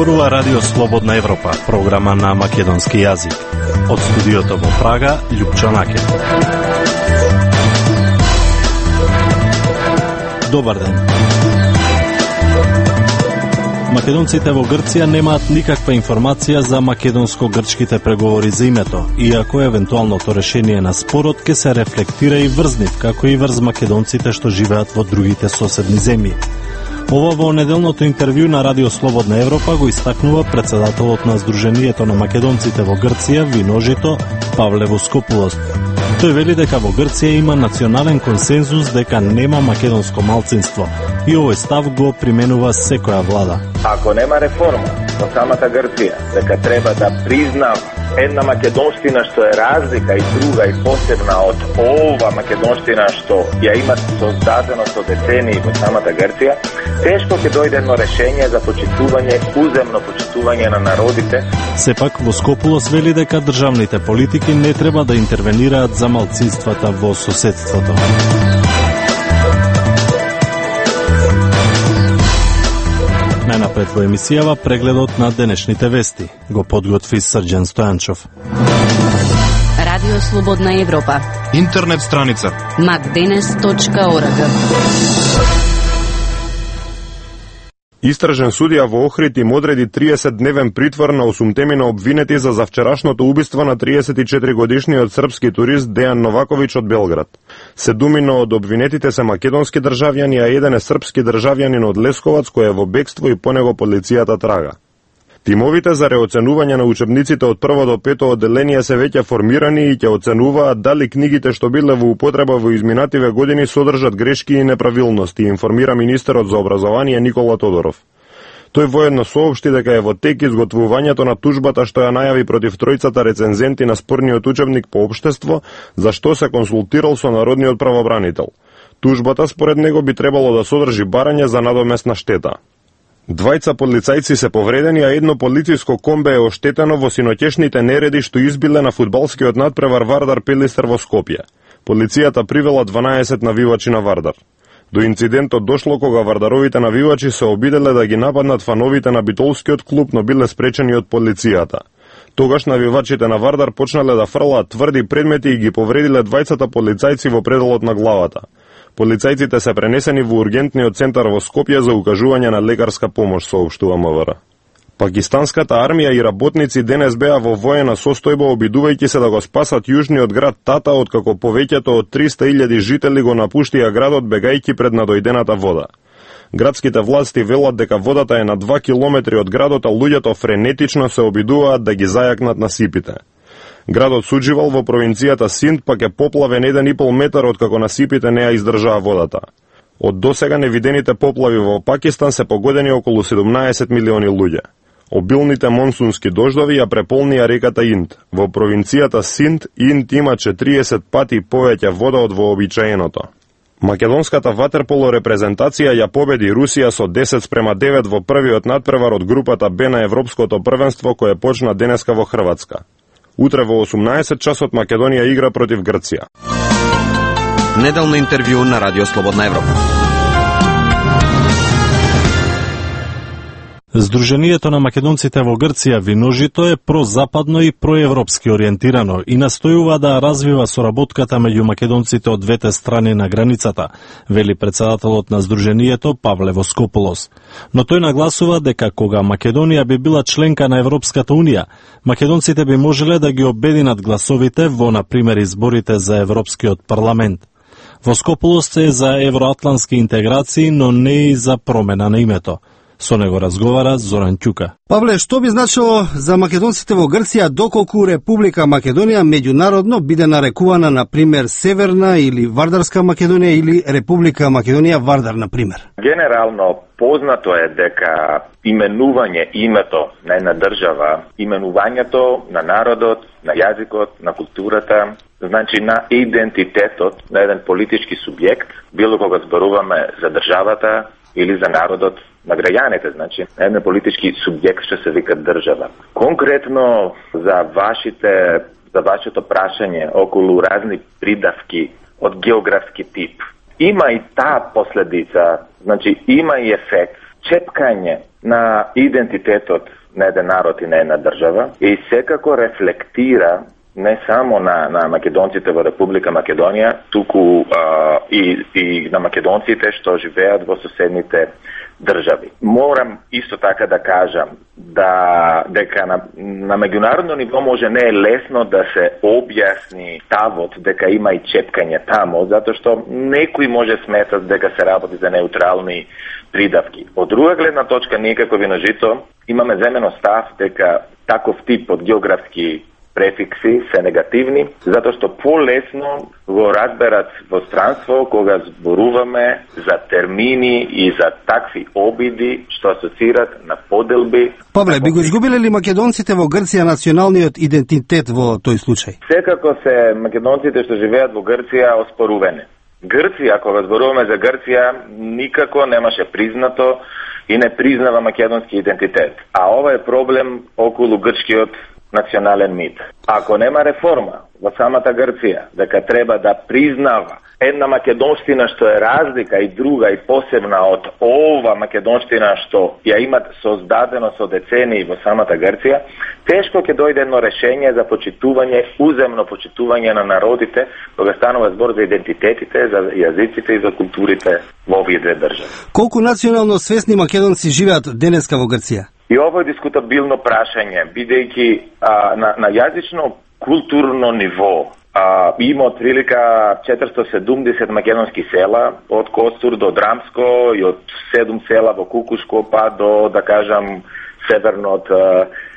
Зборува Радио Слободна Европа, програма на македонски јазик. Од студиото во Прага, Љупчо Накев. Добар ден. Македонците во Грција немаат никаква информација за македонско-грчките преговори за името, иако евентуалното решение на спорот ќе се рефлектира и врз нив, како и врз македонците што живеат во другите соседни земји. Ова во неделното интервју на Радио Слободна Европа го истакнува председателот на Сдруженијето на македонците во Грција, Виножито, Павле Воскопулос. Тој вели дека во Грција има национален консензус дека нема македонско малцинство и овој став го применува секоја влада. Ако нема реформа во самата Грција, дека треба да признам една македонштина што е разлика и друга и посебна од ова македонштина што ја има создадено со децении во самата Грција, тешко ќе дојде едно решение за почитување, уземно почитување на народите. Сепак Воскопулос вели дека државните политики не треба да интервенираат за малцинствата во соседството. Најнапред во емисијава прегледот на денешните вести. Го подготви Срđan Стојанчов. Радио Слободна Европа. Интернет страница macdenes.org. Истражен судија во Охрид им одреди 30-дневен притвор на 8 на обвинети за завчерашното убиство на 34-годишниот српски турист Дејан Новаковиќ од Белград. 7 од обвинетите се македонски државјани, а еден е српски државјанин од Лесковац кој е во бегство и по него полицијата трага. Тимовите за реоценување на учебниците од 1 до 5 одделение се веќе формирани и ќе оценуваат дали книгите што биле во употреба во изминативе години содржат грешки и неправилности, информира министерот за образование Никола Тодоров. Тој воедно соопшти дека е во тек изготвувањето на тужбата што ја најави против тројцата рецензенти на спорниот учебник по општество, за што се консултирал со народниот правобранител. Тужбата според него би требало да содржи барање за надоместна штета. 2 полицајци се повредени, а едно полициско комбе е оштетено во синоќешните нереди што избиле на фудбалскиот надпревар Вардар Пелистер во Скопје. Полицијата привела 12 навивачи на Вардар. До инцидентот дошло кога вардаровите навивачи се обиделе да ги нападнат фановите на битолскиот клуб, но биле спречени од полицијата. Тогаш навивачите на Вардар почнале да фрлаат тврди предмети и ги повредиле 2 полицајци во пределот на главата. Полицајците се пренесени во ургентниот центар во Скопје за укажување на лекарска помош, соопштува МВР. Пакистанската армија и работници денес беа во воена состојба обидувајќи се да го спасат јужниот град Тата, откако повеќето од 300.000 жители го напуштија градот бегајќи пред надојдената вода. Градските власти велат дека водата е на 2 километри од градот, а луѓето френетично се обидуваат да ги зајакнат насипите. Градот Суџивал во провинцијата Синд пак е поплавен 1,5 метар откако насипите не ја издржаа водата. Од досега невидените поплави во Пакистан се погодени околу 17 милиони луѓе. Обилните монсунски дождови ја преполнија реката Инд. Во провинцијата Синд, Инд има 40 пати повеќе вода од вообичаеното. Македонската ватерполо репрезентација ја победи Русија со 10-9 во првиот надпревар од групата Б на Европското првенство кое почна денеска во Хрватска. Утре во 18 часот Македонија игра против Грција. Неделно интервју на Радио Слободна Европа. Сдруженијето на македонците во Грција Виножито е прозападно и проевропски ориентирано и настојува да развива соработката меѓу македонците од двете страни на границата, вели председателот на Сдруженијето Павле Воскопулос. Но тој нагласува дека кога Македонија би била членка на Европската унија, македонците би можеле да ги обединат гласовите во, например, изборите за Европскиот парламент. Воскопулос е за евроатлански интеграции, но не и за промена на името. Со него разговара Зоран Ќука. Павле, што би значило за македонците во Грција доколку Република Македонија меѓународно биде нарекувана, например, Северна или Вардарска Македонија или Република Македонија Вардар, например? Генерално познато е дека именување името на една држава, именувањето на народот, на јазикот, на културата, значи на идентитетот на еден политички субјект, било кога зборуваме за државата или за народот на граѓаните, значи еден политички субјект што се вика држава. Конкретно за вашето прашање околу разни придавки од географски тип, има и таа последица, значи има и ефект чепкање на идентитетот на еден народ и на една држава и секако рефлектира не само на македонците во Република Македонија, туку и на македонците што живеат во соседните држави. Морам исто така да кажам дека на меѓународно ниво може не е лесно да се објасни ставот дека има и чепкање тамо, затоа што некои може сметат дека се работи за неутрални придавки. Од друга гледна точка, ние како Виножито имаме земено став дека таков тип од географски префикси се негативни, затоа што полесно го разберат во странство кога зборуваме за термини и за такви обиди што асоцират на поделби. Павле, би го изгубиле ли македонците во Грција националниот идентитет во тој случај? Секако се македонците што живеат во Грција оспоруване. Грција, кога зборуваме за Грција, никако немаше признато и не признава македонски идентитет. А ова е проблем околу грчкиот национален мит. Ако нема реформа во самата Грција, дека треба да признава една македонштина што е разлика и друга и посебна од ова македонштина што ја имат создадено со децении во самата Грција, тешко ќе дојде едно решение за почитување, уземно почитување на народите, кога станува збор за идентитетите, за јазиците и за културите во овие две држави. Колку национално свесни македонци живеат денеска во Грција? И ова е дискутабилно прашање, бидејќи на јазично културно ниво има отприлика 470 македонски села, од Костур до Драмско и од 7 села во Кукушко па до, да кажам, северно од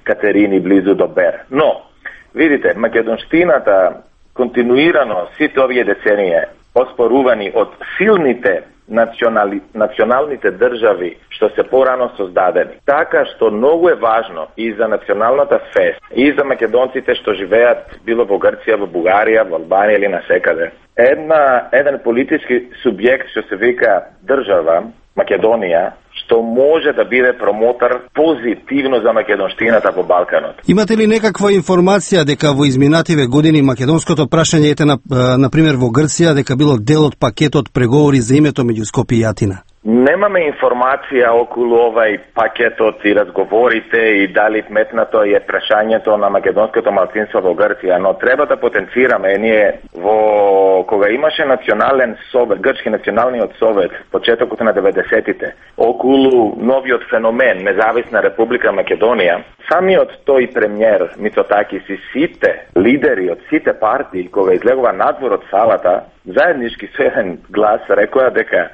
Катерини близу до Бер. Но, видите, македонштината континуирано сите овие децении оспорувани од силните националните држави што се порано создадени. Така што многу е важно и за националната фест, и за македонците што живеат било во Грција, во Бугарија, во Албанија или насекаде. Еден политички субјект што се вика држава, Македонија, што може да биде промотор позитивно за македонштината во Балканот. Имате ли некаква информација дека во изминативе години македонското прашање на пример во Грција дека било дел од пакетот преговори за името меѓу Скопје и Атина? Немаме информација околу овај пакетот и разговорите и дали метнато е прашањето на македонското малцинство во Грција, но треба да потенцираме ние кога имаше национален совет, грчки националниот совет, почетокот на 90-тите, околу новиот феномен Независна Република Македонија, самиот тој премиер Мицотакис и сите лидери од сите партии кога излегува надвор од салата, заеднички со еден глас рекоа дека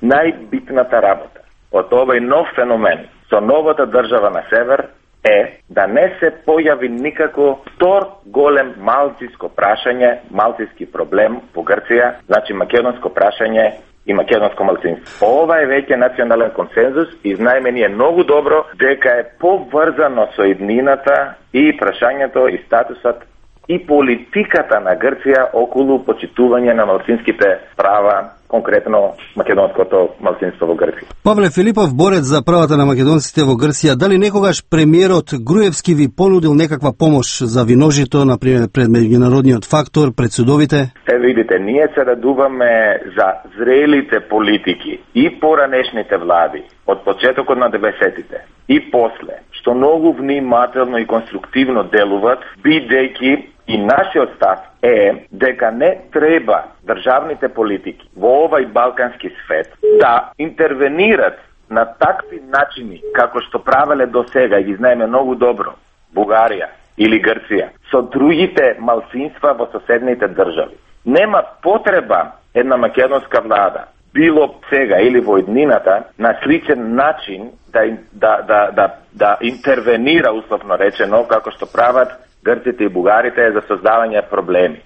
најбитната работа од овој нов феномен со новата држава на север е да не се појави никако втор голем малциско прашање, малциски проблем во Грција, значи македонско прашање и македонско малцинство. Ова е веќе национален консензус и знаеме ние многу добро дека е поврзано со иднината и прашањето и статусот и политиката на Грција околу почитување на малцинските права, конкретно македонското малцинство во Грција. Павле Филипов, борец за правата на македонците во Грција, дали некогаш премиерот Груевски ви понудил некаква помош за Виножито, например пред меѓународниот фактор, пред судовите? Видите, ние се радуваме за зрелите политики и поранешните влади од почетокот на 90-тите и после, што многу внимателно и конструктивно делуват, бидејќи и нашиот став е дека не треба државните политики во овај балкански свет да интервенират на такви начини како што правеле до сега и ги знаеме многу добро Бугарија или Грција со другите малцинства во соседните држави. Нема потреба една македонска влада било сега или во иднината на сличен начин да интервенира, условно речено, како што прават грците и бугарите за создавање проблеми.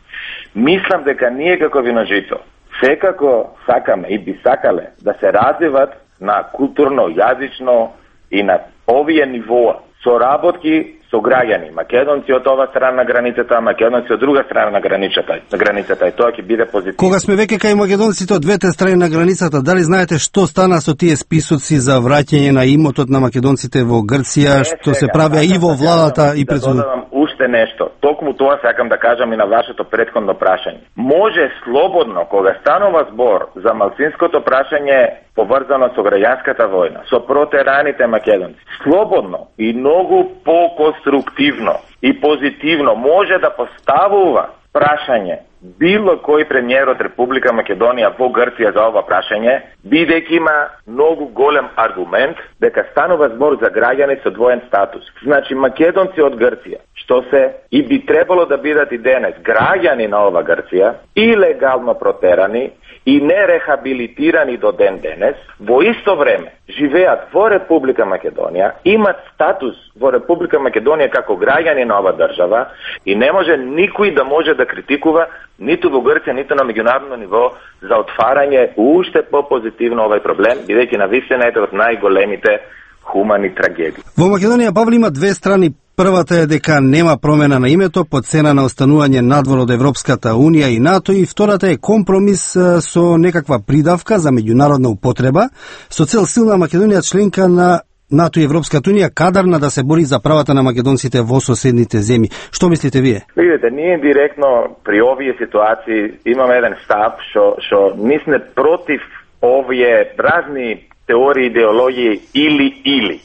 Мислам дека ние како Виножито секако сакаме и би сакале да се развиват на културно, јазично и на овие нивоа соработки со граѓани, македонци од ова страна на границата, македонци од друга страна на границата и тоа ќе биде позитивно. Кога сме веќе кај македонците од двете страни на границата, дали знаете што стана со тие списоци за враќање на имотот на македонците во Грција, што се правеа и во владата и пред судот? уште нешто, токму тоа сакам да кажам и на вашето претходно прашање. Може слободно, кога станува збор за малцинското прашање поврзано со граѓанската војна, со протераните македонци, слободно и многу поконструктивно и позитивно може да поставува прашање било кој премиер од Република Македонија во Грција за ова прашање, бидејќи има многу голем аргумент дека станува збор за граѓани со двоен статус. Значи македонци од Грција, што се и би требало да бидат и денес граѓани на ова Грција, илегално протерани и нерехабилитирани до ден денес, во исто време живеат во Република Македонија, имат статус во Република Македонија како граѓани на ова држава и не може никој да може да критикува ниту во Грција, ниту на меѓународно ниво за отварање уште по-позитивно овај проблем, бидејќи навистина е од најголемите хумани трагедии. Во Македонија, Павле, има две страни. Првата е дека нема промена на името по цена на останување надвор од Европската Унија и НАТО, и втората е компромис со некаква придавка за меѓународна употреба со цел силна Македонија членка на НАТО и Европската Унија, кадарна да се бори за правата на македонците во соседните земји. Што мислите вие? Видите, ние директно при овие ситуации имаме еден став што ние сме против овие разни теории, идеологии или.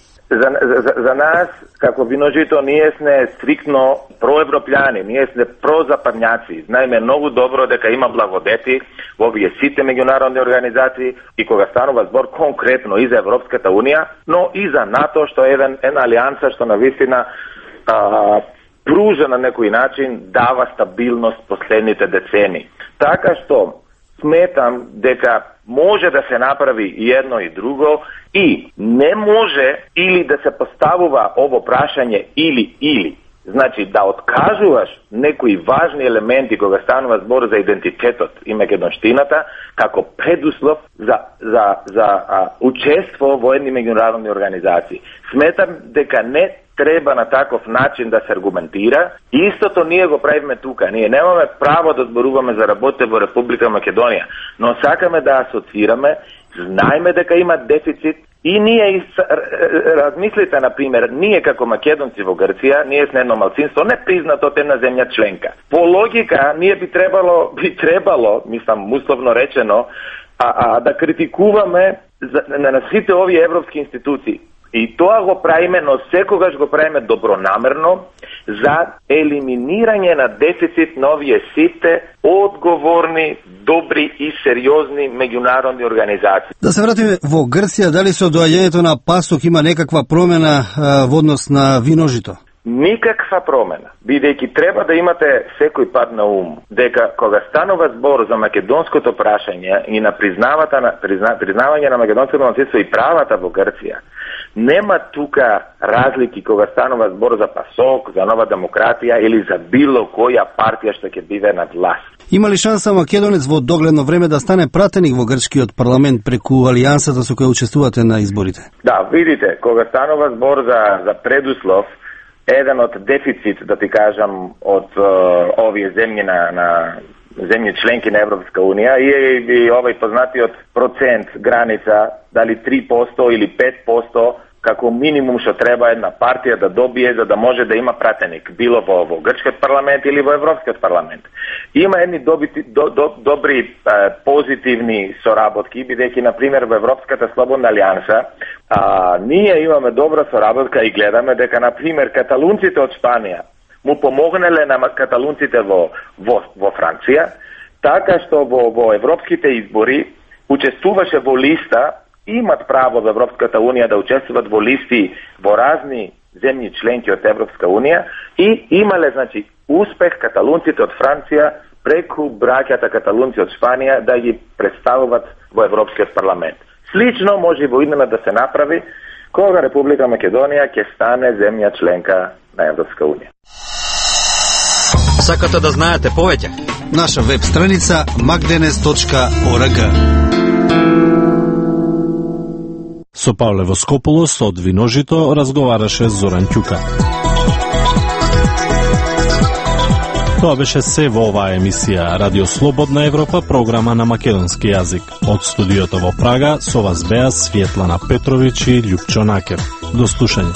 За нас, како Виножито, ние сме стриктно проевропјани, ние сме прозападњаци. Знаеме многу добро дека има благодети во овие сите меѓународни организации и кога станува збор конкретно и за Европската Унија, но и за НАТО, што е една алијанса што навистина пружа на некој начин, дава стабилност последните децени. Така што сметам дека може да се направи и едно и друго и не може или да се поставува ово прашање или. Значи да откажуваш некои важни елементи кога станува збор за идентитетот и македонштината како предуслов за учество во едни меѓународни организации. Сметам дека не треба на таков начин да се аргументира. Истото ние го правиме тука. Ние немаме право да зборуваме за работите во Република Македонија, но сакаме да асоцираме, знаеме дека има дефицит и ние размислите, например, ние како македонци во Грција, ние сме едно малцинство не признато од една земја членка. По логика, ние би требало, мислам, условно речено, да критикуваме на сите овие европски институции. И тоа го правиме, но секогаш го правиме добронамерно за елиминирање на дефицит на овие сите одговорни, добри и сериозни меѓународни организации. Да се вратиме во Грција, дали со доаѓањето на Пасок има некаква промена во однос на Виножито? Никаква промена, бидејќи треба да имате секој пат на ум дека кога станува збор за македонското прашање и на признавање на македонското малцинство и правата во Грција, нема тука разлики кога станува збор за Пасок, за Нова демократија или за било која партија што ќе биде на власт. Има ли шанса македонец во догледно време да стане пратеник во грчкиот парламент преку алијансата со која учествувате на изборите? Да, видите, кога станува збор за предуслов, еден од дефицит, да ти кажам, од овие земји на земји членки на Европска Унија и овој познатиот процент граница, дали 3% или 5%, како минимум што треба една партија да добие за да може да има пратеник, било во грчкиот парламент или во Европскиот парламент. Има едни добри позитивни соработки, бидејќи, например, во Европската слободна алијанса, ние имаме добра соработка и гледаме дека, например, каталунците од Шпанија му помогнале на каталунците во Франција, така што во европските избори учествуваше во листа, имат право во Европската Унија да учествуват во листи во разни земји членки од Европска Унија и имале, значи, успех каталунците од Франција преку браќата каталунци од Шпанија да ги представуваат во Европскиот парламент. Слично може и во иднина да се направи кога Република Македонија ќе стане земја членка на Европска Унија. Сакате да знаете повеќе? Наша веб страница magdenes.org. Со Павле Воскополос од Виножито разговараше Зоран Ќука. Тоа беше се во оваа емисија Радио Слободна Европа, програма на македонски јазик. Од студиото во Прага со вас беа Светлана Петровиќ и Љупчо Накер. До слушање.